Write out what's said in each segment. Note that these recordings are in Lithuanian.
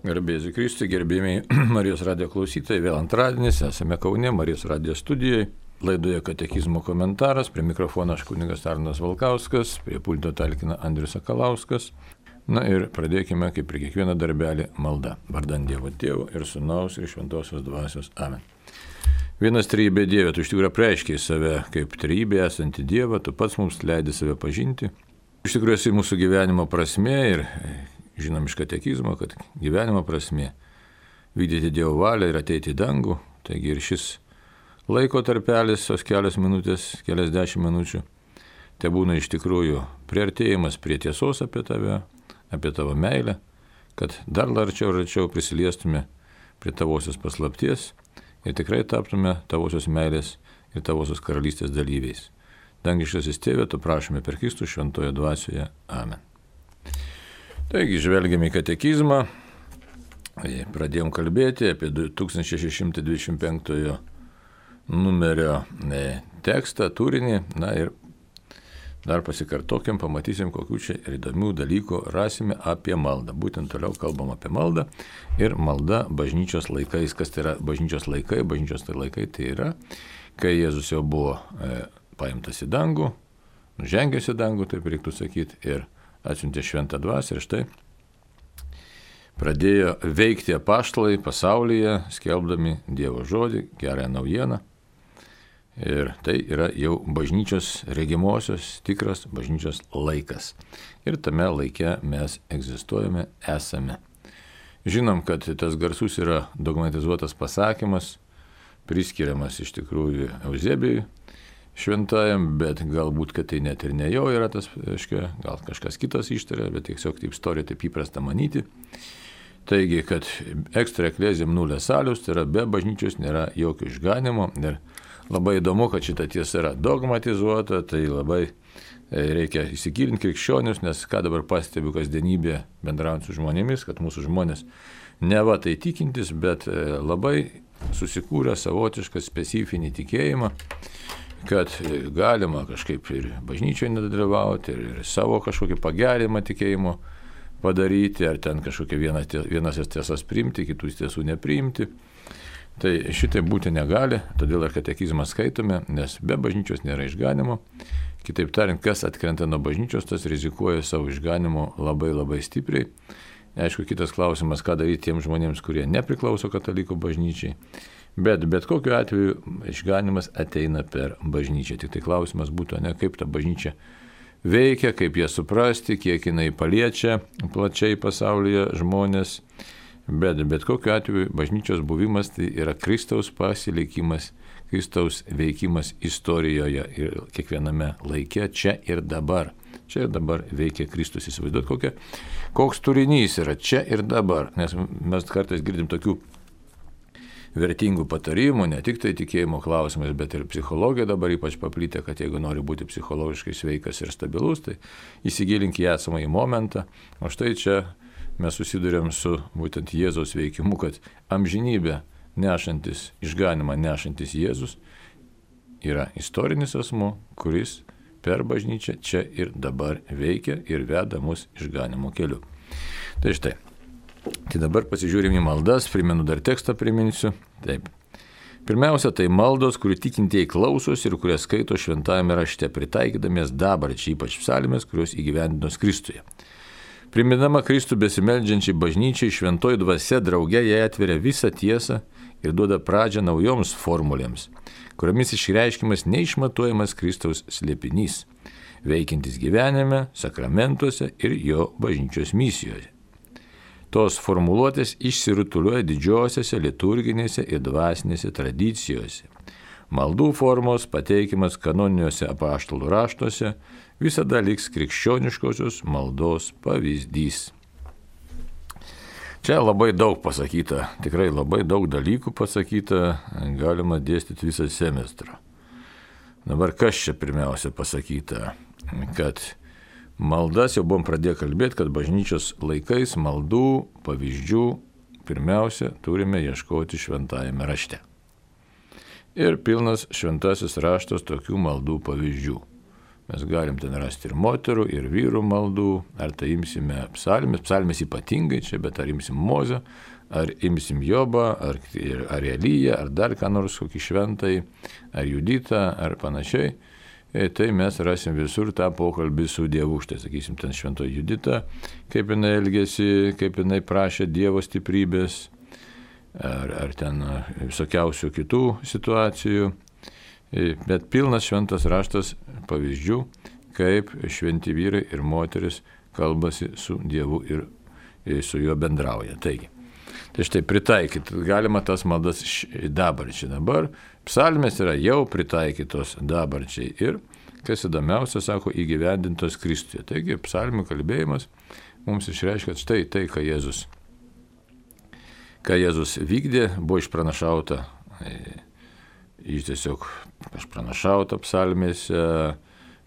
Garbėsiu Kristui, gerbėmiai Marijos radijo klausytojai, vėl antradienis, esame Kaune, Marijos radijo studijoje, laidoje katekizmo komentaras, prie mikrofono aš kunigas Arnas Valkauskas, prie pulto talkina Andrius Sakalauskas. Na ir pradėkime, kaip ir kiekvieną darbelį, malda. Vardan Dievo Tėvo ir Sūnaus ir Šventosios Dvasios. Amen. Vienas trejybė Dieve, tu iš tikrųjų apreiškiai save kaip trejybė esanti Dievą, tu pats mums leidi save pažinti. Iš tikrųjų esi mūsų gyvenimo prasmė ir žinom iš katekizmo, kad gyvenimo prasmė vykdyti Dievo valią ir ateiti į dangų. Taigi ir šis laiko tarpelis, tos kelios minutės, keliasdešimt minučių, tai būna iš tikrųjų priartėjimas prie tiesos apie tave, apie tavo meilę, kad dar arčiau prisiliestume prie tavosios paslapties ir tikrai taptume tavosios meilės ir tavosios karalystės dalyviais. Dangiškasis Tėve, tu prašome per Kristų šventoje dvasioje. Amen. Taigi, žvelgiame į katekizmą, pradėjom kalbėti apie 1625 numerio tekstą, turinį, na ir dar pasikartokim, pamatysim, kokių čia įdomių dalykų rasime apie maldą. Būtent toliau kalbam apie maldą ir malda bažnyčios laikais. Kas tai yra bažnyčios laikai? Bažnyčios laikai tai yra, kai Jėzus jau buvo paimtas į dangų, nužengęs į dangų, taip reiktų sakyti, ir atsiuntė šventą dvasią ir štai pradėjo veikti apaštalai pasaulyje, skelbdami Dievo žodį, gerąją naujieną. Ir tai yra jau bažnyčios regimosios, tikras bažnyčios laikas. Ir tame laike mes egzistuojame, esame. Žinom, kad tas garsus yra dogmatizuotas pasakymas, priskiriamas iš tikrųjų Euzebijui šventajam, bet galbūt, kad tai net ir ne jo yra tas, gal kažkas kitas ištarė, bet tiesiog taip istorija taip įprasta manyti. Taigi, kad extra ecclesiam nulle salus, tai yra be bažnyčios nėra jokio išganimo. Ir labai įdomu, kad šita tiesa yra dogmatizuota, tai labai reikia įsigilinti krikščionius, nes ką dabar pastebiu kasdienybėje bendraujant su žmonėmis, kad mūsų žmonės neva tai tikintis, bet labai susikūrė savotišką specifinį tikėjimą, kad galima kažkaip ir bažnyčioje nedalyvauti, ir savo kažkokį pagerinimą tikėjimo padaryti, ar ten kažkokią vienas tiesas priimti, kitų tiesų nepriimti. Tai šitai būti negali, todėl ir katekizmą skaitome, nes be bažnyčios nėra išganimo. Kitaip tariant, kas atkrenta nuo bažnyčios, tas rizikuoja savo išganimu labai labai stipriai. Aišku, kitas klausimas, ką daryti tiems žmonėms, kurie nepriklauso katalikų bažnyčiai. Bet kokiu atveju išganimas ateina per bažnyčią. Tik tai klausimas būtų, ne kaip ta bažnyčia veikia, kaip ją suprasti, kiek jinai paliečia plačiai pasaulyje žmonės. Bet kokiu atveju bažnyčios buvimas tai yra Kristaus pasilikimas, Kristaus veikimas istorijoje ir kiekviename laike, čia ir dabar. Čia ir dabar veikia Kristus. Įsivaizduot, koks turinys yra čia ir dabar. Nes mes kartais girdim tokių vertingų patarimų, ne tik tai tikėjimo klausimais, bet ir psichologija dabar ypač paplitę, kad jeigu nori būti psichologiškai sveikas ir stabilus, tai įsigilink į esamąjį momentą. O štai čia mes susidurėm su būtent Jėzaus veikimu, kad amžinybė nešantis, išganimą nešantis Jėzus yra istorinis asmuo, kuris per bažnyčią čia ir dabar veikia ir veda mus išganimo keliu. Tai štai. Tai dabar pasižiūrime į maldas, primenu dar tekstą priminsiu. Taip. Pirmiausia, tai maldos, kurių tikintieji klausosi ir kurias skaito šventajame rašte, pritaikydamiesi dabarčiai, ypač psalmės, kurios įgyvendinos Kristuje. Primindama Kristų besimeldžiančiai bažnyčiai, šventoji dvasia drauge jai atveria visą tiesą ir duoda pradžią naujoms formulėms, kuriomis išreiškimas neišmatuojamas Kristaus slėpinys, veikiantis gyvenime, sakramentuose ir jo bažnyčios misijoje. Tos formuluotės išsirutulioja didžiosiose liturginėse ir dvasinėse tradicijose. Maldų formos pateikimas kanoniniuose apaštalų raštuose visada liks krikščioniškosios maldos pavyzdys. Čia labai daug pasakyta, tikrai labai daug dalykų pasakyta, galima dėstyti visą semestrą. Dabar kas čia pirmiausia pasakyta, kad maldas jau buvom pradėję kalbėti, kad bažnyčios laikais maldų pavyzdžių pirmiausia turime ieškoti šventajame rašte. Ir pilnas šventasis raštas tokių maldų pavyzdžių. mes galim ten rasti ir moterų, ir vyrų maldų, ar tai imsime psalmės ypatingai čia, bet ar imsim Mozę, ar imsim Jobą, ar Eliją, ar dar ką nors, kokį šventai, ar Juditą, ar panašiai. Tai mes rasim visur tą pokalbį su Dievu. Štai, sakysim, ten šventoji Judita, kaip jinai elgėsi, kaip jinai prašė Dievo stiprybės, ar ten visokiausių kitų situacijų. Bet pilnas šventas raštas pavyzdžių, kaip šventi vyrai ir moteris kalbasi su Dievu ir su juo bendrauja. Taigi, tai štai pritaikyti galima tas maldas dabarčiai. Dabar psalmės yra jau pritaikytos dabarčiai ir, kas įdomiausia, sako, įgyvendintos Kristuje. Taigi, psalmių kalbėjimas mums išreiškia štai tai, ką Jėzus vykdė, buvo išpranašauta, tiesiog išpranašauta psalmėse,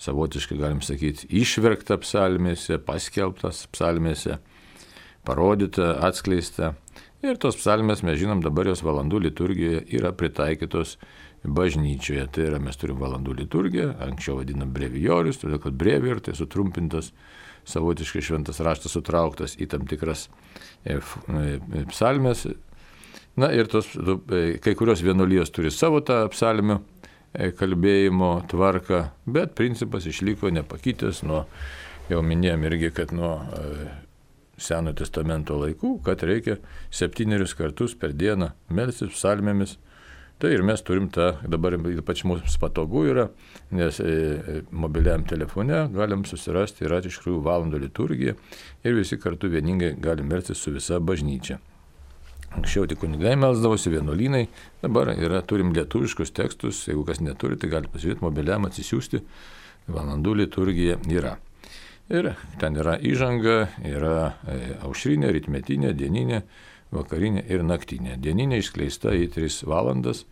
savotiškai galim sakyti, išverkta psalmėse, paskelbtas psalmėse, parodyta, atskleista. Ir tos psalmės, mes žinom, dabar jos valandų liturgijoje yra pritaikytos bažnyčioje. Tai yra, mes turim valandų liturgiją, anksčiau vadinam brevijorius, todėl kad brevijor tai sutrumpintas, savotiškai šventas raštas sutrauktas į tam tikras psalmės. Na ir kai kurios vienuolijos turi savo tą psalmių kalbėjimo tvarką, bet principas išliko nepakitęs nuo, jau minėjom irgi, kad nuo Senojo testamento laikų, kad reikia 7 kartus per dieną melstis psalmėmis. Tai ir mes turim tą, dabar ypač mums patogu yra, nes mobiliam telefone galim susirasti, yra iš tikrųjų valandų liturgija ir visi kartu vieningai galim melstis su visa bažnyčia. Anksčiau tik kunigai melsdavosi, vienuolynai, dabar turim lietuviškus tekstus, jeigu kas neturi, tai gali pasižiūrėti mobiliam, atsisiųsti, valandų liturgija yra. Ir ten yra įžanga, yra aušrinė, rytmetinė, dieninė, vakarinė ir naktinė. Dieninė išskleista į 3 valandas,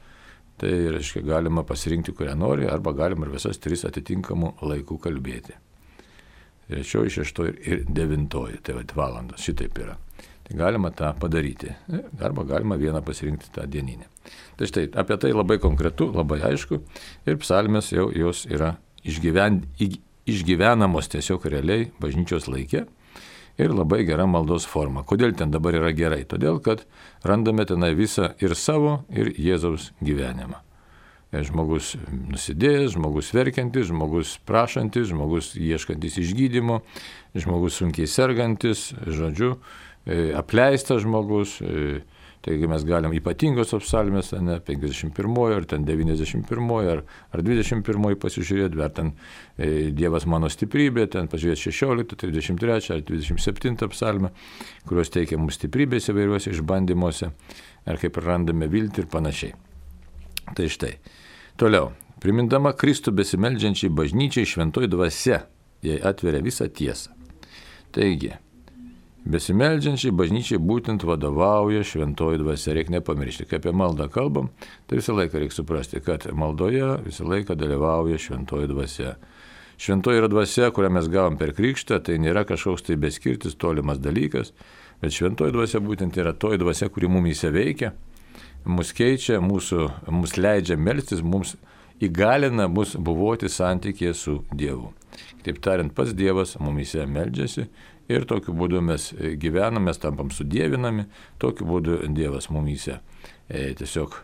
tai reiškia galima pasirinkti, kurią nori, arba galima ir visas 3 atitinkamų laikų kalbėti. 3, 6 ir 9, tai valandos, šitaip yra. Tai galima tą padaryti, arba galima vieną pasirinkti tą dieninę. Tai štai, apie tai labai konkretu, labai aišku, ir psalmės jau jos yra išgyvenamos tiesiog realiai bažnyčios laike ir labai gera maldos forma. Kodėl ten dabar yra gerai? Todėl, kad randame tenai visą ir savo, ir Jėzaus gyvenimą. Žmogus nusidėjęs, žmogus verkiantis, žmogus prašantis, žmogus ieškantis išgydymo, žmogus sunkiai sergantis, žodžiu, apleistas žmogus. Taigi mes galim ypatingos psalmės, 51 ar ten 91 ar 21 pasižiūrėti, ar ten Dievas mano stiprybė, ten pažiūrėti 16, 33 ar 27 psalmę, kurios teikia mums stiprybės įvairiuose išbandymuose, ar kaip randame viltį ir panašiai. Tai štai. Toliau. Primindama Kristų besimeldžiančiai bažnyčiai šventoji dvasia, jai atveria visą tiesą. Taigi, besimeldžiančiai bažnyčiai būtent vadovauja šventoji dvasia. Reikia nepamiršti, kai apie maldą kalbam, tai visą laiką reikia suprasti, kad maldoje visą laiką dalyvauja šventoji dvasia. Šventoji yra dvasia, kurią mes gavom per krikštą, tai nėra kažkoks tai beskirtis, tolimas dalykas, bet šventoji dvasia būtent yra toji dvasia, kuri mumyse veikia, mus keičia, mus leidžia melstis, mums įgalina mus buvoti santykėje su Dievu. Taip tariant, pats Dievas mumyse meldžiasi ir tokiu būdu mes gyvename, mes tampam sudievinami, tokiu būdu Dievas mumyse tiesiog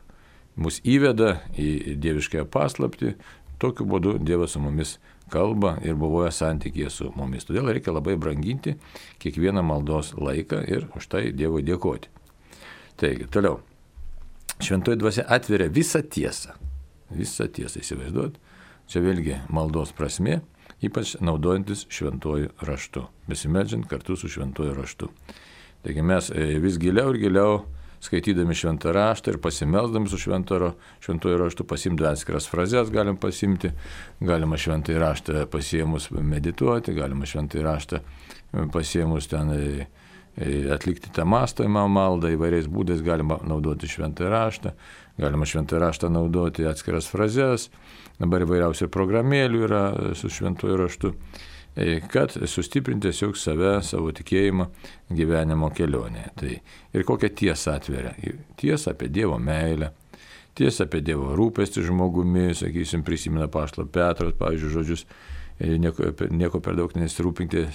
mus įveda į dieviškąją paslaptį, tokiu būdu Dievas su mumis kalba ir buvoja santykėje su mumis. Todėl reikia labai branginti kiekvieną maldos laiką ir už tai Dievui dėkoti. Taigi, toliau. Šventoji dvasia atveria visą tiesą. Visą tiesą įsivaizduot. Čia vėlgi maldos prasmė, ypač naudojantis šventuoju raštu, besimeldžiant kartu su šventuoju raštu. Taigi mes vis giliau ir giliau skaitydami šventą raštą ir pasimeldami su šventuoju raštu, pasimti atskiras frazes galim pasimti, galima šventąjį raštą pasiemus medituoti, galima šventąjį raštą pasiemus ten atlikti tą mąstymą maldą, įvairiais būdais galima naudoti šventąjį raštą, galima šventąjį raštą naudoti atskiras frazes, dabar įvairiausių programėlių yra su šventuoju raštu, kad sustiprinti tiesiog save, savo tikėjimą gyvenimo kelionėje. Tai ir kokią tiesą atveria? Tiesą apie Dievo meilę, tiesą apie Dievo rūpestį žmogumi, sakysim, prisimena apaštalo Petro, pavyzdžiui, žodžius, nieko per daug nesirūpinkite,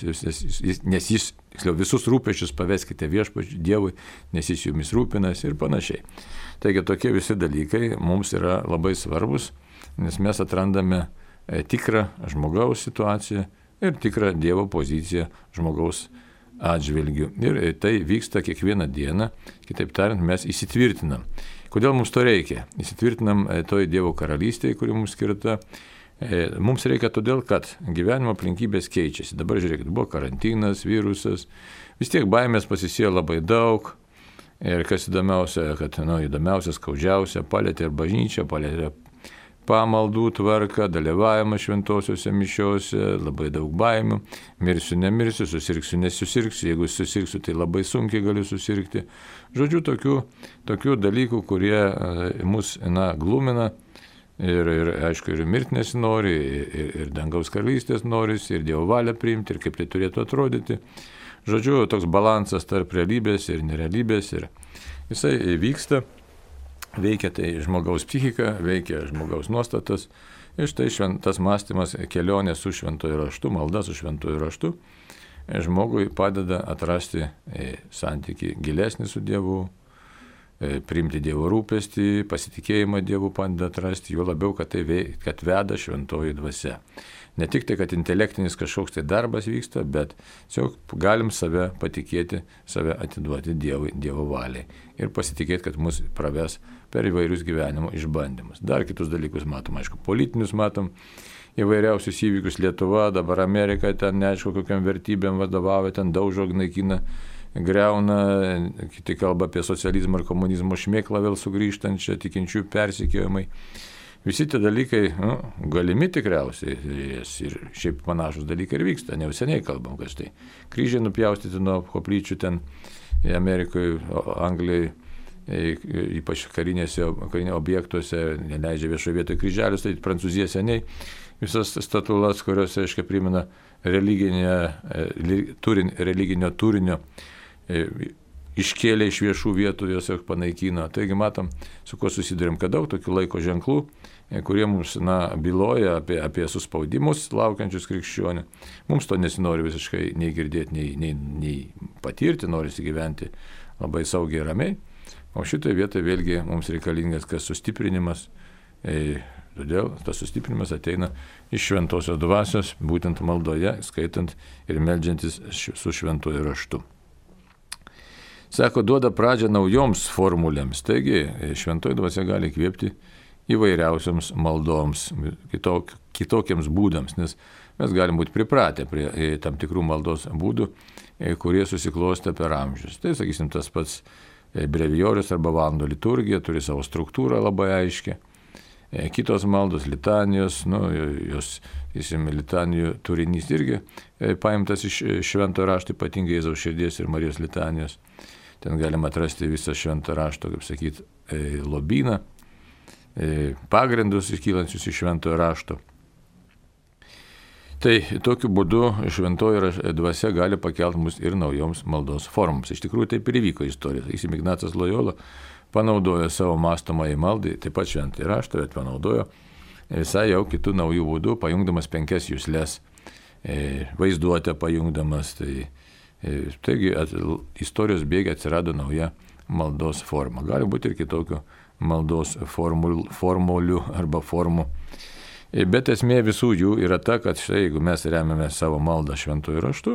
nes jis, visus rūpesčius paveskite viešpačiui Dievui, nes jis jumis rūpinasi ir panašiai. Taigi tokie visi dalykai mums yra labai svarbus, nes mes atrandame tikrą žmogaus situaciją ir tikrą Dievo poziciją žmogaus atžvilgių. Ir tai vyksta kiekvieną dieną, kitaip tariant, mes įsitvirtinam. Kodėl mums to reikia? Įsitvirtinam toj Dievo karalystėje, kuri mums skirta. Mums reikia todėl, kad gyvenimo aplinkybės keičiasi. Dabar žiūrėkit, buvo karantinas, virusas, vis tiek baimės pasisėjo labai daug. Ir kas įdomiausia, kad įdomiausia, skaudžiausia, palėtė ir bažnyčia, palėtė pamaldų tvarką, dalyvavimą šventosiuose mišiuose, labai daug baimių, mirsiu, nemirsiu, susirgsiu, nesusirgsiu, jeigu susirgsiu, tai labai sunkiai galiu susirgti. Žodžiu, tokių dalykų, kurie mus glumina ir aišku, ir mirti nesinori, ir dangaus karalystės noris, ir Dievo valią priimti, ir kaip tai turėtų atrodyti. Žodžiu, toks balansas tarp realybės ir nerealybės, ir jisai vyksta. Veikia tai žmogaus psichika, veikia žmogaus nuostatas. Ir štai tas mąstymas, kelionė su šventuoju raštu, malda su šventuoju raštu, žmogui padeda atrasti santykį gilesnį su Dievu, priimti Dievo rūpestį, pasitikėjimą Dievu padeda atrasti, juo labiau, kad veda šventoji dvasia. Ne tik tai, kad intelektinis kažkoks tai darbas vyksta, bet tiesiog galim save patikėti, save atiduoti Dievui, Dievo valiai ir pasitikėti, kad mus praves per įvairius gyvenimo išbandymus. Dar kitus dalykus matom, aišku, politinius matom, įvairiausius įvykius Lietuva, dabar Amerika, ten neaišku, kokiam vertybėm vadovauja, ten daužo, naikina, greuna, kiti kalba apie socializmą ir komunizmo šmėklą vėl sugrįžtančią, tikinčiųjų persekiojimai. Visi tie dalykai galimi tikriausiai ir šiaip panašus dalykai ir vyksta, ne jau seniai kalbam, kad štai kryžiai nupjaustyti nuo koplyčių ten Amerikoje, Anglijoje, ypač karinėse objektuose, neleidžia viešoje vietoje kryželius, tai Prancūzija seniai visas statulas, kurios, aiškiai, primena religinio turinio, iškėlė iš viešų vietų, jos jau panaikino. Taigi matom, su kuo susidurėm, kad daug tokių laiko ženklų, kurie mums byloja apie suspaudimus laukiančius krikščionių. Mums to nesinori visiškai nei girdėti, nei patirti, norisi gyventi labai saugiai ir ramiai. O šitoje vietoje vėlgi mums reikalingas kas sustiprinimas. Todėl tas sustiprinimas ateina iš šventosios dvasios, būtent maldoje, skaitant ir meldžiantis su šventuoju raštu. Sako, duoda pradžią naujoms formulėms, taigi šventoji dvasia gali įkvėpti įvairiausiams maldoms, kitokiems būdams, nes mes galim būti pripratę prie tam tikrų maldos būdų, kurie susiklostė per amžius. Tai, sakysim, tas pats brevijorius arba valandų liturgija turi savo struktūrą labai aiškią. Kitos maldos, litanijos, jos, litanijų turinys irgi paimtas iš šventojo rašto, ypatingai Jėzaus širdies ir Marijos litanijos. Ten galima atrasti visą švento rašto, kaip sakyti, lobyną, pagrindus iškylančius iš šventojo rašto. Tai tokiu būdu šventoji dvasia gali pakelti mus ir naujoms maldos formoms. Iš tikrųjų taip ir įvyko istorija. Ignacas Lojola panaudojo savo mąstomąjį maldai, taip pat šventąjį raštą, bet panaudojo visai jau kitų naujų būdų, pajungdamas 5 juslės, vaizduotę pajungdamas. Taigi istorijos bėgiai atsirado nauja maldos forma. Gali būti ir kitokių maldos formulių arba formų. Bet esmė visų jų yra ta, kad štai, jeigu mes remiame savo maldą šventuoju raštu,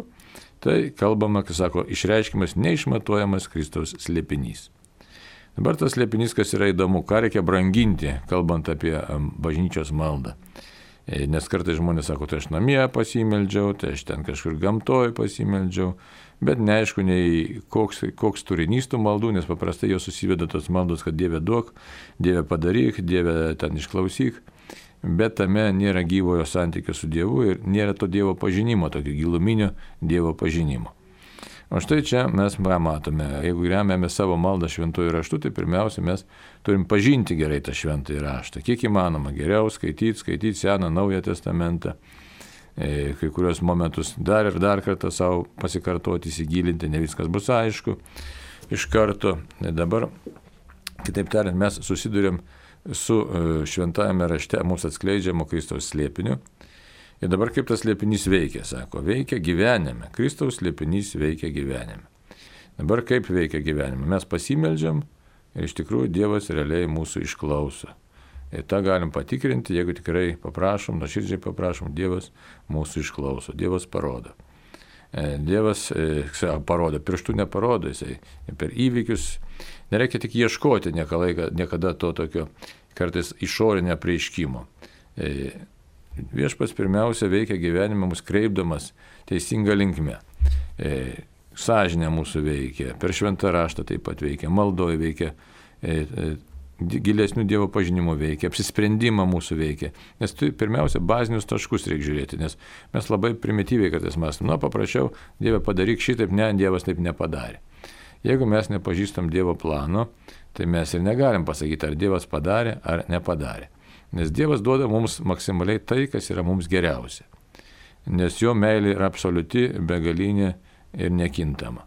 tai kalbama, kai sako, išreiškimas neišmatuojamas Kristaus slėpinys. Dabar tas slėpinys, kas yra įdomu, ką reikia branginti, kalbant apie bažnyčios maldą. Nes kartais žmonės sako, tai aš namie pasimeldžiau, tai aš ten kažkur gamtoj pasimeldžiau, bet neaišku, nei koks turinys tų maldų, nes paprastai jos susiveda tos maldos, kad Dieve duok, Dieve padaryk, Dieve ten išklausyk, bet tame nėra gyvojo santykio su Dievu ir nėra to Dievo pažinimo, tokio giluminio Dievo pažinimo. O štai čia mes matome, jeigu remiame savo maldą šventuoju raštu, tai pirmiausia mes turim pažinti gerai tą šventąjį raštą. Kiek įmanoma geriau skaityti Seną, Naują testamentą, kai kurios momentus dar ir dar kartą savo pasikartoti, įsigilinti, ne viskas bus aišku iš karto. Dabar, kitaip tariant, mes susidurėm su šventajame rašte mums atskleidžiamo Kristaus slėpiniu. Ir dabar kaip tas slėpinys veikia, sako, veikia gyvenime. Kristaus slėpinys veikia gyvenime. Dabar kaip veikia gyvenime? Mes pasimeldžiam ir iš tikrųjų Dievas realiai mūsų išklauso. Ir tą galim patikrinti, jeigu tikrai paprašom, nuoširdžiai paprašom, Dievas mūsų išklauso, Dievas parodo. Dievas parodo, pirštų neparodo, jisai per įvykius. Nereikia tik ieškoti niekada to tokio kartais išorinio prieiškimo. Viešpats pirmiausia veikia gyvenime mus kreipdamas teisinga linkme. Sąžinė mūsų veikia, per šventą raštą taip pat veikia, maldoje veikia, gilesnių Dievo pažinimų veikia, apsisprendimą mūsų veikia. Nes pirmiausia, bazinius taškus reikia žiūrėti, nes mes labai primityviai kartais mąstam, paprašiau, Dieve padaryk šitaip, ne, Dievas taip nepadarė. Jeigu mes nepažįstam Dievo plano, tai mes ir negalim pasakyti, ar Dievas padarė, ar nepadarė. Nes Dievas duoda mums maksimaliai tai, kas yra mums geriausia. Nes jo meilė yra absoliuti, begalinė ir nekintama.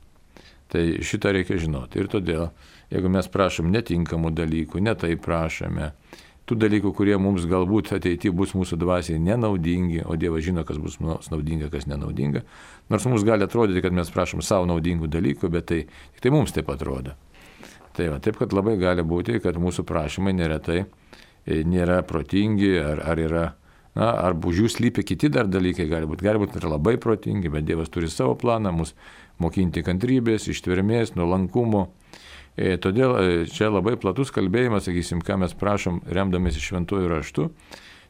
Tai šitą reikia žinoti. Ir todėl, jeigu mes prašom netinkamų dalykų, ne taip prašome, tų dalykų, kurie mums galbūt ateityje bus mūsų dvasiai nenaudingi, o Dievas žino, kas bus mums naudinga, kas nenaudinga, nors mums gali atrodyti, kad mes prašom savo naudingų dalykų, bet tai mums taip atrodo. Taip, kad labai gali būti, kad mūsų prašymai neretai nėra protingi, ar yra, ar už jų slypi kiti dar dalykai, gali būti ir labai protingi, bet Dievas turi savo planą, mus mokinti kantrybės, ištvermės, nuolankumo. Todėl čia labai platus kalbėjimas, sakysim, ką mes prašom remdamėsi šventuoju raštu,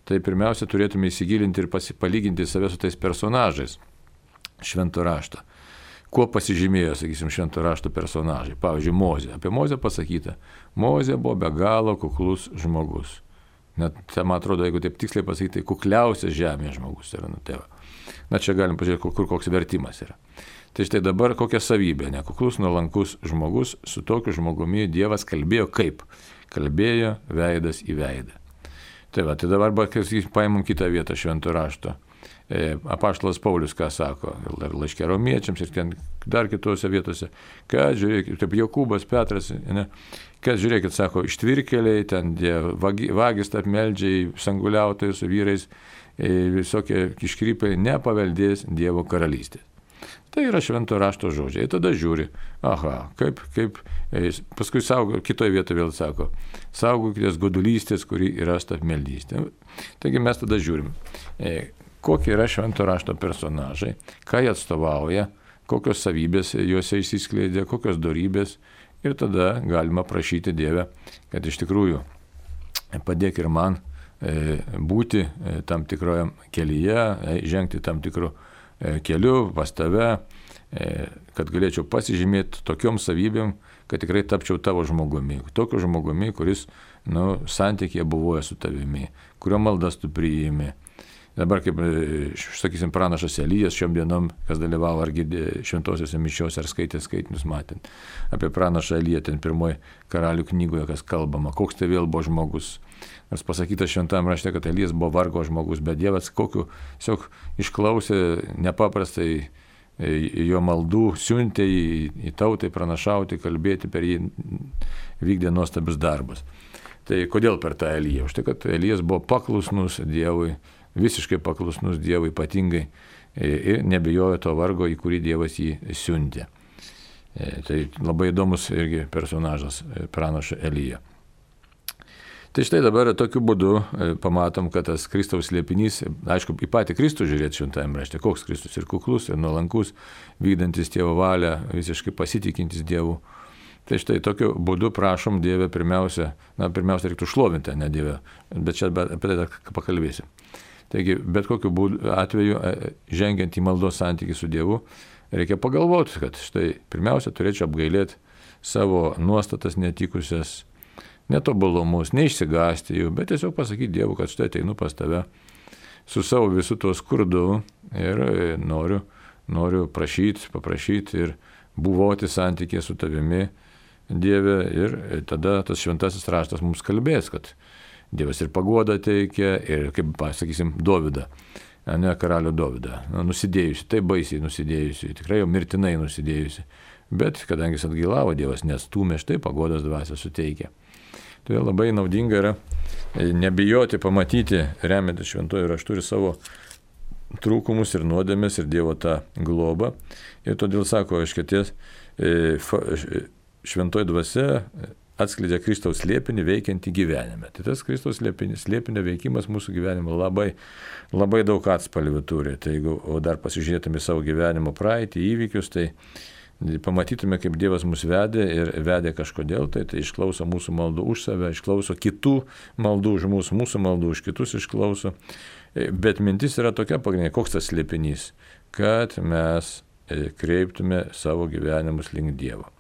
tai pirmiausia turėtume įsigilinti ir palyginti save su tais personažais švento rašto. Kuo pasižymėjo, sakysim, švento rašto personažai? Pavyzdžiui, Mozė. Apie Mozę pasakyta, Mozė buvo be galo kuklus žmogus. Net, man atrodo, jeigu taip tiksliai pasakyti, tai kukliausias žemėje žmogus yra. Čia galim pažiūrėti, kur koks vertimas yra. Tai štai dabar kokia savybė, nekuklus, nuolankus žmogus, su tokiu žmogumi Dievas kalbėjo kaip? Kalbėjo veidas į veidą. Tai dabar paimam kitą vietą švento rašto. Apaštalas Paulius ką sako, ir laiške romiečiams, ir ten dar kitose vietose, kad žiūrėkit, taip Jokūbas, Petras, kad žiūrėkit, sako, ištvirkeliai, ten vagis apmeldžiai, sanguliautojai su vyrais, visokie iškrypai nepaveldės Dievo karalystės. Tai yra švento rašto žodžiai. Tada žiūri, kaip, paskui kitoje vietoje vėl sako, saugokitės godulystės, kuri yra apmeldystė. Taigi mes tada žiūrim, kokie yra švento rašto personažai, ką jie atstovauja, kokios savybės juose išsiskleidė, kokios dorybės. Ir tada galima prašyti Dievę, kad iš tikrųjų padėk ir man būti tam tikroje kelyje, žengti tam tikru keliu pas tave, kad galėčiau pasižymėti tokiom savybėm, kad tikrai tapčiau tavo žmogumi. Tokiu žmogumi, kuris santykėje buvoja su tavimi, kurio maldas tu priimi. Dabar, kaip, sakysim, pranašas Elijas šiom dienom, kas dalyvavo ar girdė šventosiuose mišiuose, ar skaitė skaitinius matint. Apie pranašą Eliją ten pirmoji Karalių knygoje, kas kalbama, koks tai vėl buvo žmogus. Nors pasakyta šventame rašte, kad Elijas buvo vargo žmogus, bet Dievas kokiu tiesiog išklausė nepaprastai jo maldų, siuntė į tautai pranašauti, kalbėti, per jį vykdė nuostabius darbus. Tai kodėl per tą Eliją? Už tai, kad Elijas buvo paklusnus Dievui, visiškai paklusnus Dievui ypatingai ir nebijojo to vargo, į kurį Dievas jį siuntė. Tai labai įdomus irgi personažas pranašo Elija. Tai štai dabar tokiu būdu pamatom, kad tas Kristaus slėpinys, aišku, į patį Kristų žiūrėti šventajame rašte, koks Kristus ir kuklus, ir nuolankus, vykdantis Tėvo valią, visiškai pasitikintis Dievu. Tai štai tokiu būdu prašom Dievę pirmiausia reiktų šlovinti, ne Dievę, bet čia apie tai dar pakalbėsim. Taigi, bet kokiu atveju, žengiant į maldos santykį su Dievu, reikia pagalvoti, kad štai pirmiausia turėčiau apgailėti savo nuostatas netikusias, netobulumus, neišsigąsti jų, bet tiesiog pasakyti Dievui, kad štai ateinu pas tave su savo visu tuo skurdu ir noriu paprašyti ir buvoti santykėje su tavimi, Dieve, ir tada tas šventasis raštas mums kalbės, kad Dievas ir paguodą teikia, ir, kaip pasakysim, Dovydą, ne karalių Dovydą, nusidėjusi, taip baisiai nusidėjusi, tikrai jau mirtinai nusidėjusi, bet kadangi jis atgailavo, Dievas nestūmė, štai paguodos dvasia suteikia. Todėl labai naudinga yra nebijoti pamatyti, remiantis šventuoju raštu ir savo trūkumus ir nuodėmės ir Dievo tą globą. Ir todėl sako, iškėties šventoji dvasia atskleidžia Kristaus slėpinį veikiantį gyvenime. Tai tas Kristaus slėpinio veikimas mūsų gyvenime labai daug atspalvių turi. Tai jeigu dar pasižiūrėtume savo gyvenimo praeitį, įvykius, tai pamatytume, kaip Dievas mus vedė ir vedė kažkodėl, tai išklauso mūsų maldų už save, išklauso kitų maldų už mūsų maldų už kitus išklauso. Bet mintis yra tokia pagrindinė, koks tas slėpinys, kad mes kreiptume savo gyvenimus link Dievo.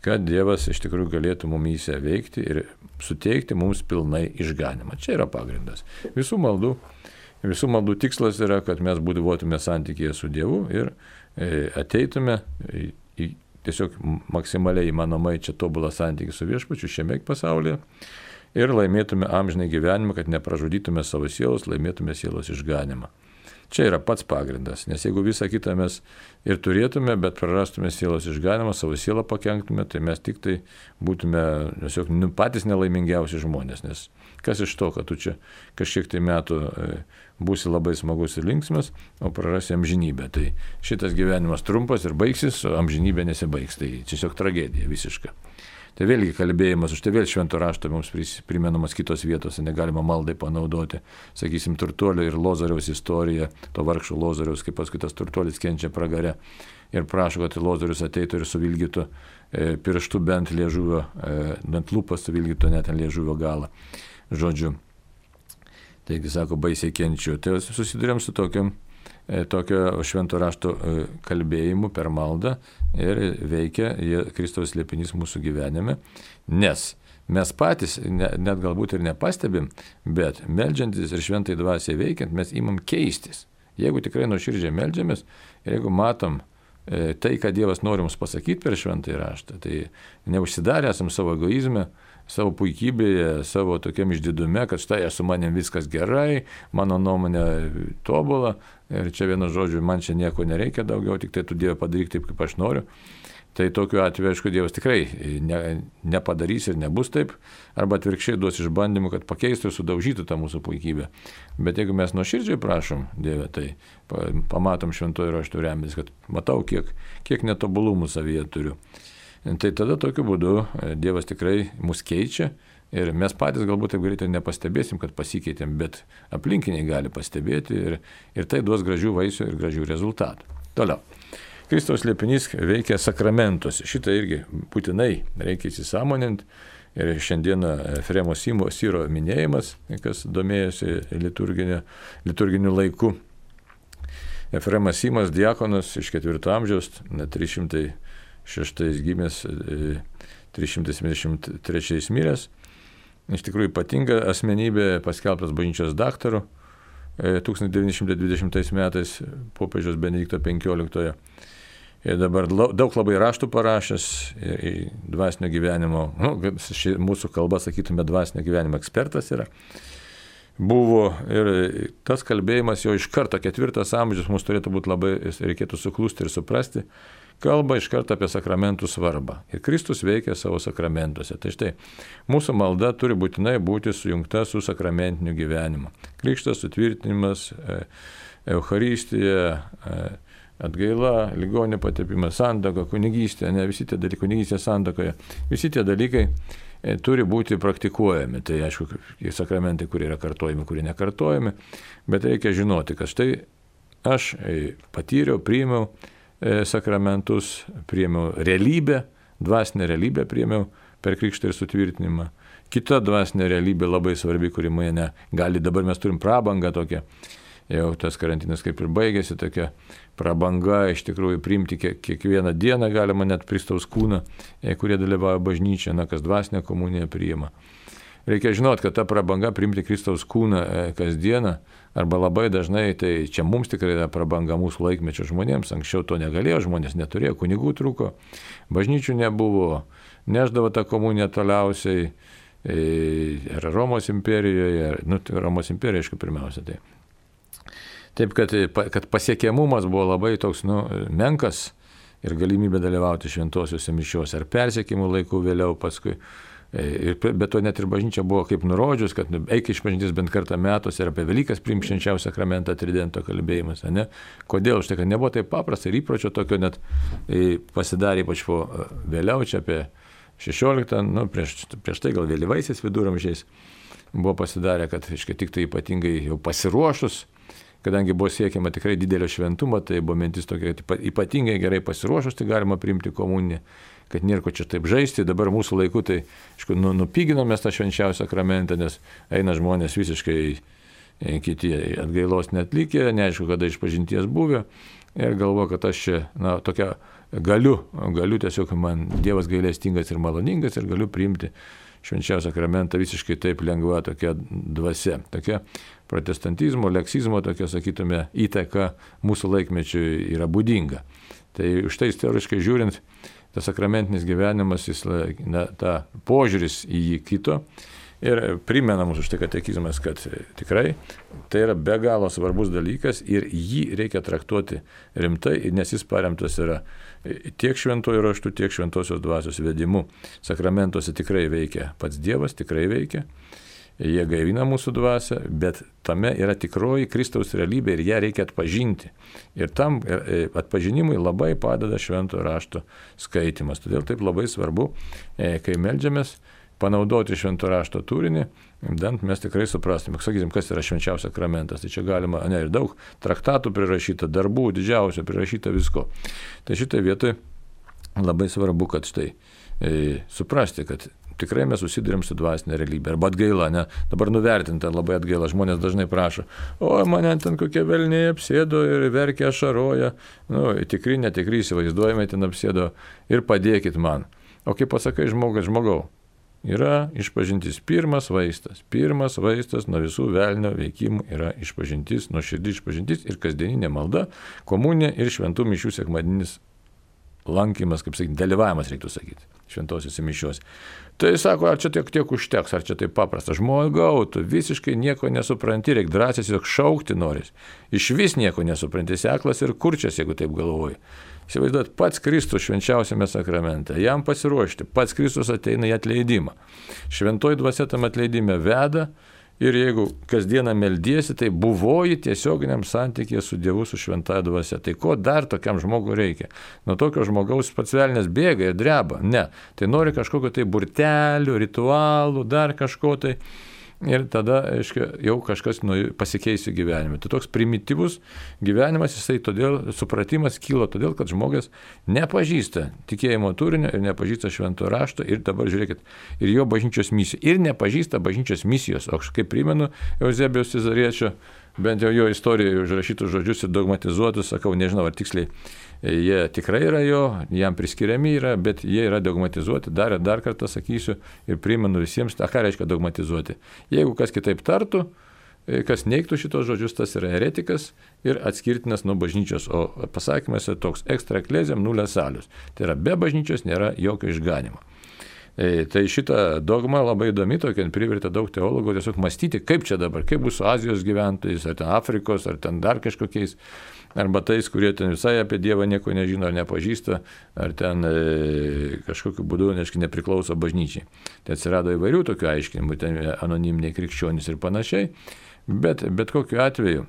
Kad Dievas iš tikrųjų galėtų mumyse veikti ir suteikti mums pilnai išganimą. Čia yra pagrindas. Visų maldų tikslas yra, kad mes būtume santykėje su Dievu ir ateitume tiesiog maksimaliai įmanomai čia tobulą santykį su viešpačiu šiame pasaulyje ir laimėtume amžinai gyvenimą, kad nepražudytume savo sielos, laimėtume sielos išganimą. Čia yra pats pagrindas, nes jeigu visą kitą mes ir turėtume, bet prarastume sielos išganimą, savo sielą pakenktume, tai mes tik tai būtume tiesiog patys nelaimingiausi žmonės, nes kas iš to, kad tu čia kažkiek tai metų būsi labai smagus ir linksmas, o prarasi amžinybę. Tai šitas gyvenimas trumpas ir baigsis, o amžinybė nesibaigs. Tai tiesiog tragedija visiška. Tai vėlgi kalbėjimas, už tai vėl švento rašto mums primenamas kitos vietos, negalima maldai panaudoti. Sakysim, turtuolio ir Lozoriaus istorija, to vargšo Lozoriaus, kaip paskui tas turtuolis kenčia pragare ir prašo, kad Lozorius ateitų ir suvilgytų pirštų bent liežuvio, bent lūpas suvilgytų net ant liežuvio galą. Žodžiu. Taigi, sako, baisiai kenčiu. Tai susidurėm su tokio švento rašto kalbėjimu per maldą ir veikia Kristaus slėpinys mūsų gyvenime, nes mes patys net galbūt ir nepastebim, bet meldžiantis ir šventai dvasiai veikiant mes imam keistis. Jeigu tikrai nuoširdžiai meldžiamės ir jeigu matom tai, ką Dievas nori mums pasakyti per šventąjį raštą, tai neužsidarę esam savo egoizme, savo puikybėje, savo tokiam išdidume, kad štai su manim viskas gerai, mano nuomonė tobula ir čia vienu žodžiu, man čia nieko nereikia daugiau, tik tai tu Dieve padaryk taip, kaip aš noriu. Tai tokiu atveju, aišku, Dievas tikrai nepadarys ir nebus taip, arba atvirkščiai duos išbandymų, kad pakeistų ir sudaužytų tą mūsų puikybę. Bet jeigu mes nuoširdžiai prašom Dieve, tai pamatom šventojo rašto remiantis, kad matau, kiek netobulumų savyje turiu. Tai tada tokiu būdu Dievas tikrai mus keičia ir mes patys galbūt taip greitai nepastebėsim, kad pasikeitėm, bet aplinkiniai gali pastebėti ir tai duos gražių vaisių ir gražių rezultatų. Toliau. Kristaus slėpinys veikia sakramentuose. Šitą irgi būtinai reikia įsisąmoninti. Ir šiandieną Efremo Syro minėjimas, kas domėjosi liturginiu laiku. Efremas Symas, diakonas iš 4 amžiaus, 306 gimęs, 373 miręs. Iš tikrųjų ypatinga asmenybė, paskelbtas bažnyčios daktaru 1920 metais popiežiaus Benedikto XV. Ir dabar daug labai raštų parašęs dvasinio gyvenimo, mūsų kalba sakytume dvasinio gyvenimo ekspertas yra. Buvo ir tas kalbėjimas jau iš karto 4 amžius mums turėtų būti labai, reikėtų suklusti ir suprasti, kalba iš karto apie sakramentų svarbą. Ir Kristus veikia savo sakramentuose. Tai štai, mūsų malda turi būtinai būti sujungta su sakramentiniu gyvenimu. Krikštas, sutvirtinimas, Eucharistija, atgaila, ligonių patepimas, santuoka, kunigystė, visi tie dalykai, kunigystė santuokoje, visi tie dalykai turi būti praktikuojami. Tai aišku, sakramentai, kurie yra kartojami, kurie nekartojami, bet reikia žinoti, kad štai aš patyriau, priėmiau sakramentus, priėmiau realybę, dvasinę realybę priėmiau per krikštą ir sutvirtinimą. Kita dvasinė realybė labai svarbi, kuri mane gali, dabar mes turim prabangą tokią, jau tas karantinas kaip ir baigėsi, tokia prabanga iš tikrųjų priimti kiekvieną dieną galima net Kristaus kūną, kurie dalyvauja bažnyčioje, kas dvasinę komuniją priima. Reikia žinoti, kad ta prabanga priimti Kristaus kūną kasdieną arba labai dažnai, tai čia mums tikrai yra prabanga mūsų laikmečio žmonėms, anksčiau to negalėjo, žmonės neturėjo, kunigų trūko, bažnyčių nebuvo, neždavo tą komuniją toliausiai ir Romos imperijoje, Romos imperija, aišku, pirmiausia. Taip, kad pasiekiamumas buvo labai toks menkas ir galimybė dalyvauti šventosiuose mišiuose ar persekiojimų laikų vėliau paskui Bet to net ir bažnyčia buvo kaip nurodžius, kad eik išpažintis bent kartą metuose ir apie Velykas priimk švenčiausią sakramentą tridento kalbėjimas. Ne? Kodėl? Štai, kad nebuvo taip paprasta ir įpročio tokio net pasidarė, ypač po vėliau, čia apie 16, prieš tai gal vėlyvaisiais viduramžiais buvo pasidarę, kad tik tai ypatingai jau pasiruošus, kadangi buvo siekiama tikrai didelio šventumo, tai buvo mintis tokia, kad ypatingai gerai pasiruošus, tai galima priimti komuniją, kad nėra ko čia taip žaisti. Dabar mūsų laiku tai, nupiginom mes tą švenčiausią sakramentą, nes eina žmonės visiškai kiti atgailos netlikę, neaišku, kada išpažinties buvę ir galvoja, kad aš čia, tokia galiu tiesiog, man Dievas gailestingas ir maloningas ir galiu priimti švenčiausią sakramentą visiškai taip lengva, tokia dvasia, tokia protestantizmo, leksizmo, tokia, sakytume, įtaka mūsų laikmečiui yra būdinga. Tai už tai istoriškai žiūrint, tas sakramentinis gyvenimas, ta požiūris į jį kito ir primena mūsų štai katekizmas, kad tikrai tai yra be galo svarbus dalykas ir jį reikia traktuoti rimtai, nes jis paremtas yra tiek šventojų raštų, tiek šventosios dvasios vedimu. Sakramentuose tikrai veikia pats Dievas, tikrai veikia. Jie gaivina mūsų dvasią, bet tame yra tikroji Kristaus realybė ir ją reikia atpažinti. Ir tam atpažinimui labai padeda šventojo rašto skaitimas. Todėl taip labai svarbu, kai meldžiamės, panaudoti šventojo rašto turinį, bent mes tikrai suprastume, sakysim, kas yra švenčiausias sakramentas. Tai čia galima, ir daug traktatų prirašyta, darbų didžiausio prirašyta visko. Tai šitai vietoj labai svarbu, kad štai suprasti, kad tikrai mes susidurėm su dvasinė realybė. Arba atgaila, ne? Dabar nuvertinta labai atgaila. Žmonės dažnai prašo, mane ten kokie velniai apsėdo ir verkia, ašaroja. Tikri, netikri, įsivaizduojame, ten apsėdo ir padėkit man. O kaip pasakai žmogau, yra išpažintis pirmas vaistas nuo visų velnio veikimų yra išpažintis, nuoširdi išpažintis ir kasdieninė malda, komunija ir šventų mišių sekmadienis lankymas, kaip sakyti, dalyvavimas reiktų sakyti, šventosiuose mišiuose. Tai sako, ar čia tiek užteks, ar čia taip paprasta. Žmogau, tu visiškai nieko nesupranti, reikia drąsiai tiesiog šaukti noris. Iš vis nieko nesupranti, seklas ir kurčias, jeigu taip galvoji. Įsivaizduot, pats Kristus švenčiausiame sakramente, jam pasiruošti, pats Kristus ateina į atleidimą. Šventoji dvasia tam atleidime veda ir jeigu kasdieną meldiesi, tai buvoji tiesioginiam santykėje su Dievu, su šventąja dvasia. Tai ko dar tokiam žmogui reikia? Nuo tokio žmogaus pats velnias bėga ir dreba. Ne, tai nori kažkokio tai burtelių, ritualų, dar kažko tai. Ir tada, jau kažkas pasikeis gyvenime. Tai toks primityvus gyvenimas, jisai todėl, supratimas kyla todėl, kad žmogus nepažįsta tikėjimo turinio ir nepažįsta šventojo rašto ir dabar žiūrėkit, ir jo bažnyčios misijos, ir nepažįsta bažnyčios misijos. O kaip primenu Euzebijaus Cezariečio, bent jau jo istorijoje užrašytus žodžius ir dogmatizuotus, sakau, nežinau, ar tiksliai jie tikrai yra jo, jam priskiriami yra, bet jie yra dogmatizuoti. Dar kartą sakysiu ir primenu visiems, ką reiškia dogmatizuoti. Jeigu kas kitaip tartų, kas neigtų šitos žodžius, tas yra heretikas ir atskirtinas nuo bažnyčios, o pasakymas yra toks extra ecclesiam nulla salus. Tai yra be bažnyčios nėra jokio išganimo. Tai šita dogma labai įdomi, tokia privertė daug teologų tiesiog mąstyti, kaip čia dabar, kaip bus su Azijos gyventojais, ar ten Afrikos, ar ten dar kažkokiais, arba tais, kurie ten visai apie Dievą nieko nežino, ar nepažįsta, ar ten kažkokiu būdu nepriklauso bažnyčiai. Tai atsirado įvairių tokių aiškinimų, ten anoniminiai krikščionys ir panašiai, bet kokiu atveju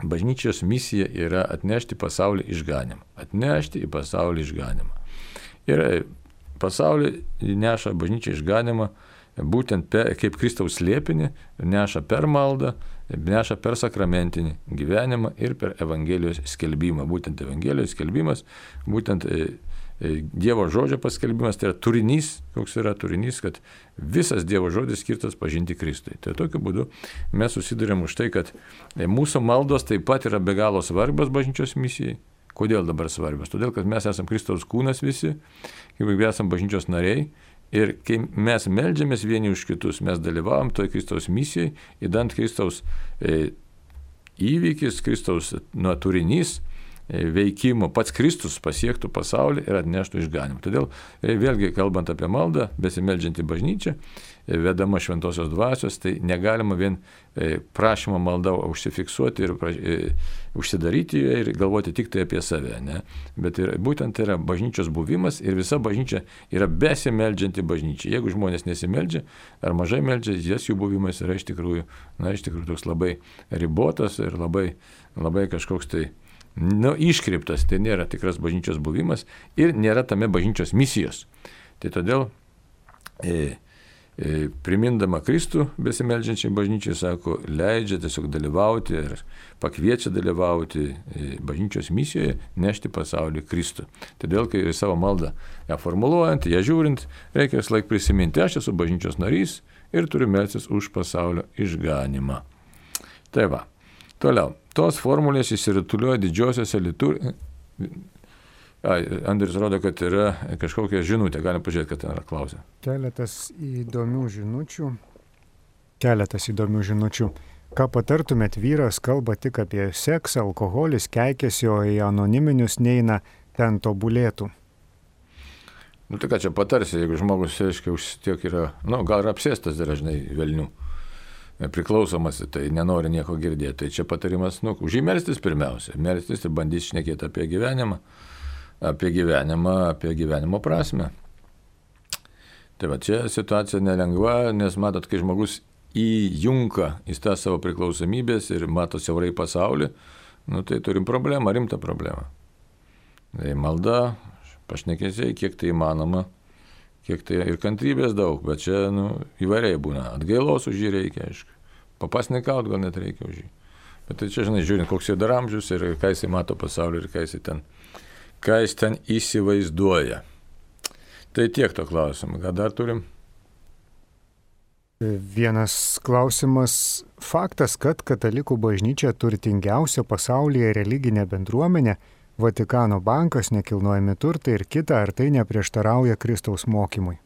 bažnyčios misija yra atnešti pasaulį išganimą. Atnešti į pasaulį išganimą. Ir pasaulį neša bažnyčia išganimą būtent kaip Kristaus slėpinį, neša per maldą, neša per sakramentinį gyvenimą ir per Evangelijos skelbimą. Būtent Evangelijos skelbimas, būtent Dievo žodžio paskelbimas, tai yra turinys, koks yra turinys, kad visas Dievo žodis skirtas pažinti Kristui. Tai tokiu būdu mes susidurėm už tai, kad mūsų maldos taip pat yra be galo svarbios bažnyčios misijai. Kodėl dabar svarbios? Todėl, kad mes esame Kristaus kūnas visi, kaip esame bažnyčios nariai ir kai mes meldžiamės vieni už kitus, mes dalyvavom toj Kristaus misijai, įdant Kristaus įvykis, Kristaus turinys veikimo pats Kristus pasiektų pasaulį ir atneštų išganimą. Todėl vėlgi kalbant apie maldą, besimeldžiantį bažnyčią, vedama šventosios dvasios, tai negalima vien prašymą maldą užsifiksuoti ir užsidaryti ir galvoti tik tai apie save. Ne? Bet būtent tai yra bažnyčios buvimas ir visa bažnyčia yra besimeldžianti bažnyčia. Jeigu žmonės nesimeldžia ar mažai meldžia, jų buvimas yra iš tikrųjų toks labai ribotas ir labai kažkoks tai iškreiptas, tai nėra tikras bažnyčios buvimas ir nėra tame bažnyčios misijos. Tai todėl primindama Kristų besimeldžiančiai bažnyčiai, sako, leidžia tiesiog dalyvauti ir pakviečia dalyvauti bažnyčios misijoje, nešti pasaulį Kristų. Todėl, kai savo maldą ją formuluojant, ją žiūrint, reikia vis laik prisiminti, aš esu bažnyčios narys ir turiu melstis už pasaulio išganimą. Tai va, toliau. Tos formulės įsirutulioja didžiosiose liturgijose. Andrius rodo, kad yra kažkokia žinutė. Galim pažiūrėti, kad ten yra klausė. Keletas įdomių žinučių. Ką patartumėt, vyras kalba tik apie seksą, alkoholis, keikiasi, o į anoniminius neina, ten tobulėtų. Tai ką čia patarsi, jeigu žmogus, aiškiai, tiek yra, gal ir apsėstas yra, žinai, velnių. Priklausomas, tai nenori nieko girdėti. Tai čia patarimas, už jį melstis pirmiausia. Melstis ir bandys šnekėti apie gyvenimą, apie gyvenimo prasme. Tai va, čia situacija nelengva, nes matot, kai žmogus įjunka į tą savo priklausomybės ir mato siaurai pasaulį, tai turim problemą, rimtą problemą. Tai malda, pašnekėsiai, kiek tai įmanoma, kiek tai ir kantrybės daug, bet čia įvairiai būna. Atgailos už jį reikia, aišku. Papasnikaut gal net reikia už jį. Bet tai čia, žinai, žiūrint, koks jo dar amžius ir ką jisai mato pasaulį ir ką jis ten įsivaizduoja. Tai tiek to klausimų. Ką dar turim? Vienas klausimas. Faktas, kad katalikų bažnyčia turtingiausia pasaulyje religinė bendruomenė, Vatikano bankas, nekilnojami turtai ir kita, ar tai neprieštarauja Kristaus mokymui?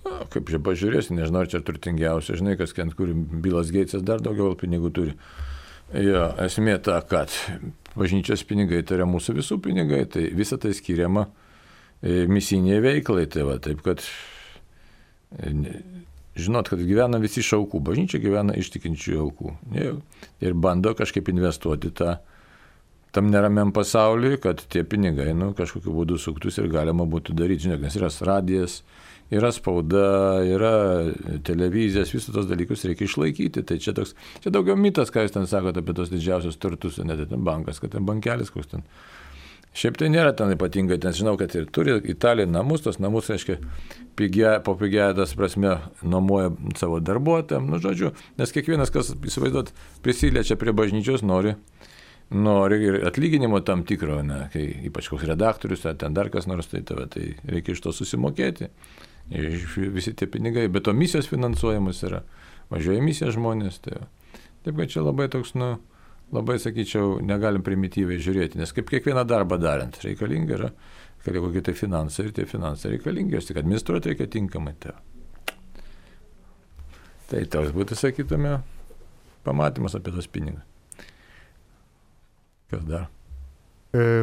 Kaip čia pažiūrėsi, nežinau, ar čia turtingiausia, žinai, kas kur Bilas Geitsas dar daugiau pinigų turi. Esmė ta, kad bažnyčios pinigai tai yra mūsų visų pinigai, tai visa tai skiriama misijiniai veiklai. Tai va, taip, kad žinot, kad gyvena visi iš aukų, bažnyčia gyvena iš tikinčių aukų. Ir bando kažkaip investuoti tam neramiam pasauliui, kad tie pinigai kažkokiu būdu suktus ir galima būtų daryti. Žinok, nes yra radijas, yra spauda, yra televizijas, visus tos dalykus reikia išlaikyti. Tai čia daugiau mitas, ką jūs ten sakote apie tos didžiausios turtus, net ten bankas, kad ten bankelis koks ten. Šiaip tai nėra ten ypatingai, ten žinau, kad ir turi Italija namus, tos namus, reiškia, po pigia, tas prasme, nuomoja savo darbuotojams, žodžiu, nes kiekvienas, kas įsivaizduot, prisiliečia prie bažnyčios, nori ir atlyginimo tam tikro, kai ypač koks redaktorius, ten dar kas nors, tai reikia iš to susimokėti. Visi tie pinigai, bet to misijos finansuojamas yra, važiuoja misija žmonės. Taip, kad čia labai toks, labai, sakyčiau, negalim primityviai žiūrėti, nes kaip kiekvieną darbą darant, reikalinga yra kokie tai finansai ir tie finansai reikalingi, jos tik administruoti reikia tinkamai. Tai toks būtų, sakytume, pamatymas apie tos pinigus. Kas dar?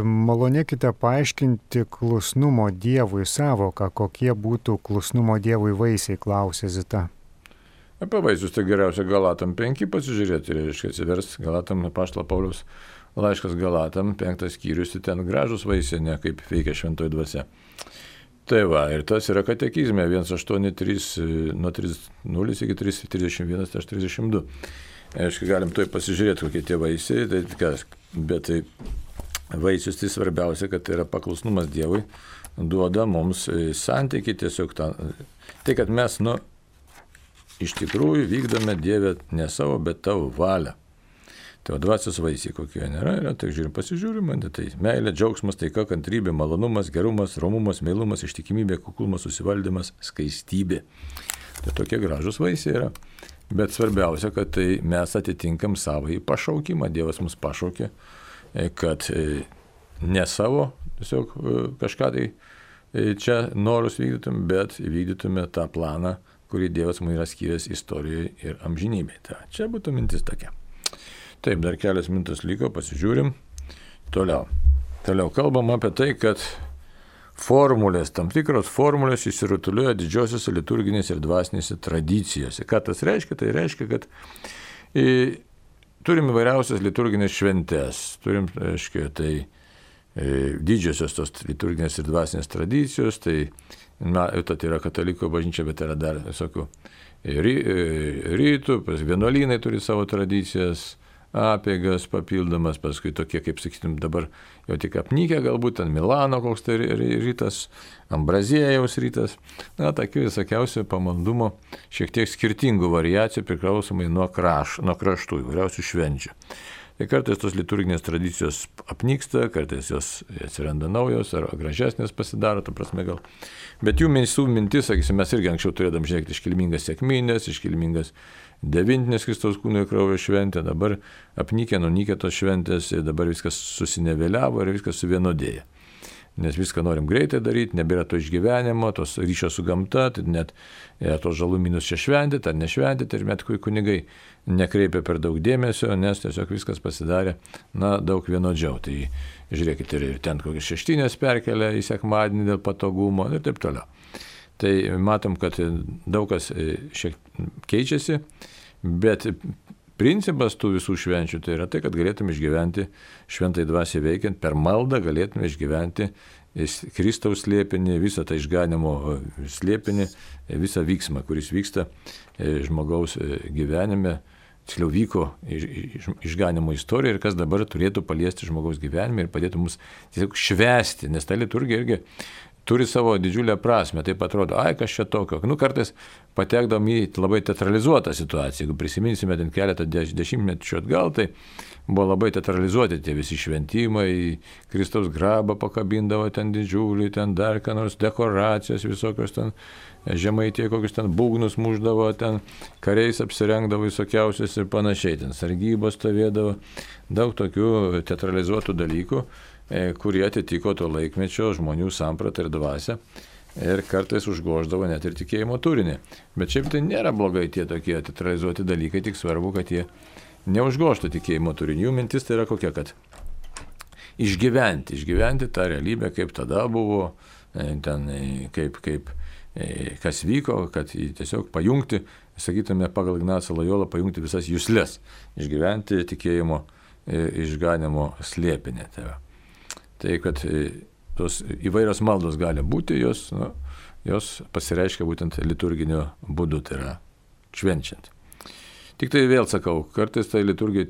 Malonėkite paaiškinti klusnumo Dievui sąvoką, kokie būtų klusnumo Dievui vaisiai, klausė Zita. Apie vaisius tai geriausia Galatam 5 pasižiūrėti, reiškia atsivers Galatam, apaštalo Pauliaus laiškas Galatam, 5 skyrius, ten gražus vaisiai, ne kaip veikia šventoji dvasia. Tai va, ir tas yra katekizme 183 nuo 30 iki 31, 32. Aišku, galim toj pasižiūrėti, kokie tie vaisiai, bet tai vaisius tai svarbiausia, kad tai yra paklusnumas Dievui, duoda mums santykį tiesiog tai, kad mes, iš tikrųjų vykdome Dievę ne savo, bet tavo valią. Tai dvasios vaisiai kokie nėra, tai pasižiūrime, tai meilė, džiaugsmas, taika, kantrybė, malonumas, gerumas, romumas, meilumas, ištikimybė, kuklumas, susivaldymas, skaistybė. Tai tokie gražus vaisiai yra. Bet svarbiausia, kad tai mes atitinkam savąjį pašaukimą. Dievas mus pašaukė, kad ne savo tiesiog kažką tai čia norus vykdytum, bet vykdytume tą planą, kurį Dievas mums yra skyręs istorijoje ir amžinybėje. Čia būtų mintis tokia. Taip, dar kelias minutės liko, pasižiūrim. Toliau kalbam apie tai, kad formulės, tam tikros formulės išsirutulioja didžiosiuose liturginėse ir dvasinėse tradicijose. Ką tas reiškia? Tai reiškia, kad turim įvairiausias liturginės šventės, turim, reiškia, tai didžiosios tos liturginės ir dvasinės tradicijos, tai yra katalikų bažnyčia, bet yra dar visokių rytų, vienuolynai turi savo tradicijas, apeigas papildomas, paskui tokie, kaip sakytum, dabar jau tik apnykę, galbūt ten Milano koks tai rytas, Ambraziejaus rytas, tokių visokiausių pamaldumo, šiek tiek skirtingų variacijų priklausomai nuo kraštų, įvairiausių švenčių. Tai kartais tos liturginės tradicijos apnyksta, kartais jos atsiranda naujos ar gražesnės pasidaro, ta prasme gal. Bet jų mintis, sakysim, mes irgi anksčiau turėdam žiūrėti iškilmingas sekminės, iškilmingas devintinės Kristaus kūno ir kraujo šventė, dabar apnykę, nunykę tos šventės, dabar viskas susineveliavo ir viskas suvienodėja. Nes viską norim greitai daryti, nebėra to išgyvenimo, tos ryšio su gamta, tai net tos žalumynus čia šventyti ar nešventyti, ir net kunigai nekreipia per daug dėmesio, nes tiesiog viskas pasidarė, daug vienodžiau. Tai žiūrėkite, ir ten kokias šeštinės perkelia į sekmadienį dėl patogumo ir taip toliau. Tai matom, kad daug kas šiek keičiasi, bet principas tų visų švenčių tai yra tai, kad galėtume išgyventi šventai dvasiai veikiant, per maldą galėtume išgyventi Kristaus slėpinį, visą tą išganimo slėpinį, visą vyksmą, kuris vyksta žmogaus gyvenime, tiksliau vyko išganimo istorija ir kas dabar turėtų paliesti žmogaus gyvenime ir padėtų mums tiesiog švęsti, nes ta liturgija irgi turi savo didžiulę prasme, taip atrodo, kas čia tokio. Kartais patekdam į labai teatralizuotą situaciją, jeigu prisiminsime ten keletą dešimtmečių atgal, tai buvo labai teatralizuoti tie visi šventimai, Kristaus grabą pakabindavo ten didžiulį, ten dar ką nors dekoracijos visokios ten, žemaitė kokius ten būgnus muždavo, ten kariais apsirengdavo visokiausius ir panašiai, ten sargybos stovėdavo, daug tokių teatralizuotų dalykų, kurie atitiko to laikmečio žmonių sampratą ir dvasią ir kartais užgoždavo net ir tikėjimo turinį. Bet šiaip tai nėra blogai tie tokie teatralizuoti dalykai, tik svarbu, kad jie neužgožtų tikėjimo turinį. Jų mintis tai yra kokia, kad išgyventi tą realybę, kaip tada buvo, ten, kas vyko, kad tiesiog pajungti, sakytume, pagal Ignacą Lojolą, pajungti visas juslės, išgyventi tikėjimo išganimo slėpinį. Tai kad tos įvairios maldos gali būti, jos pasireiškia būtent liturginio būdu, tai yra švenčiant. Tik tai vėl sakau, kartais tai liturgija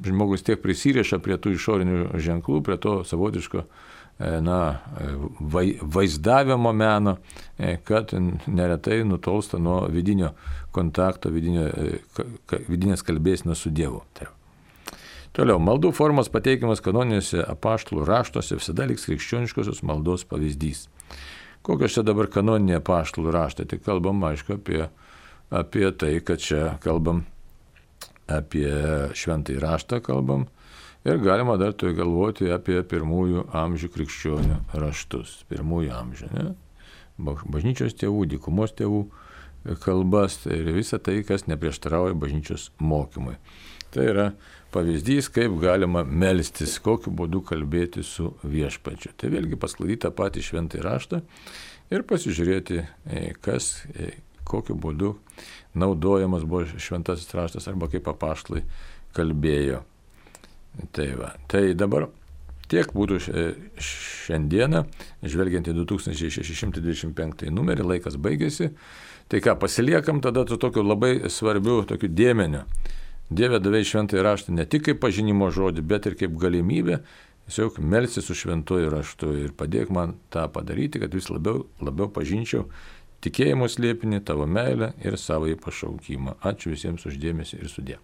žmogus tiek prisiriša prie tų išorinių ženklų, prie to savotiško vaizdavimo meno, kad neretai nutolsta nuo vidinio kontakto, vidinės kalbėsenos su Dievu. Toliau, maldų formos pateikimas kanoniniuose apaštalų raštuose visada liks krikščioniškosios maldos pavyzdys. Kokios čia dabar kanoniniai apaštalų raštai? Tai kalbam, aišku, apie tai, kad čia kalbam apie šventąjį raštą kalbam ir galima dar tai galvoti apie pirmųjų amžių krikščionių raštus. Pirmųjų amžių, ne? Bažnyčios tėvų, dykumos tėvų kalbas ir visa tai, kas neprieštarauja bažnyčios mokymui. Tai yra pavyzdys, kaip galima melstis, kokiu būdu kalbėti su viešpačiu. Tai vėlgi pasklaidyti tą patį šventąjį raštą ir pasižiūrėti, kokiu būdu naudojamas buvo šventasis raštas arba kaip apaštalai kalbėjo. Tai dabar tiek būtų šiandieną, žvelgiant į 2625 numerį, laikas baigėsi. Tai ką, pasiliekam tada su tokiu labai svarbiu tokiu dėmeniu. Dieve davei šventąjį raštą ne tik kaip pažinimo žodį, bet ir kaip galimybę tiesiog melstis su šventuoju raštu ir padėk man tą padaryti, kad vis labiau pažinčiau tikėjimo slėpinį, tavo meilę ir savąjį pašaukimą. Ačiū visiems už dėmesį ir sudie.